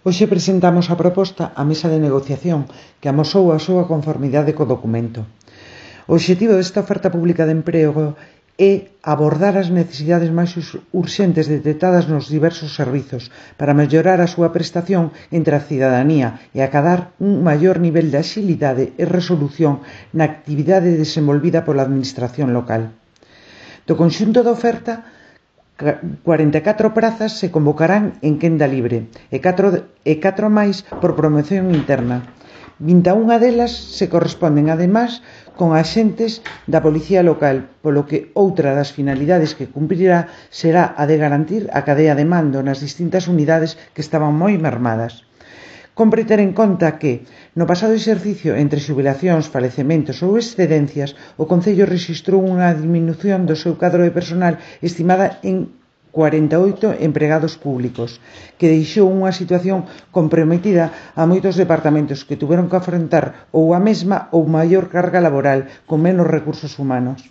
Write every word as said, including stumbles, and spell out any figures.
Hoxe presentamos a proposta á mesa de negociación que amosou a súa conformidade co documento. O obxectivo desta oferta pública de emprego é abordar as necesidades máis urxentes detectadas nos diversos servizos para mellorar a súa prestación entre a cidadanía e acadar un maior nivel de axilidade e resolución na actividade desenvolvida pola administración local. Do conxunto da oferta, cuarenta e catro prazas se convocarán en quenda libre e catro, e catro máis por promoción interna. vinte e unha delas se corresponden, ademais, con axentes da Policía Local, polo que outra das finalidades que cumprirá será a de garantir a cadea de mando nas distintas unidades que estaban moi mermadas. Compre ter en conta que, no pasado exercicio entre xubilacións, falecementos ou excedencias, o Concello rexistrou unha diminución do seu cadro de personal estimada en cuarenta e oito empregados públicos, que deixou unha situación comprometida a moitos departamentos que tuveron que afrontar ou a mesma ou maior carga laboral con menos recursos humanos.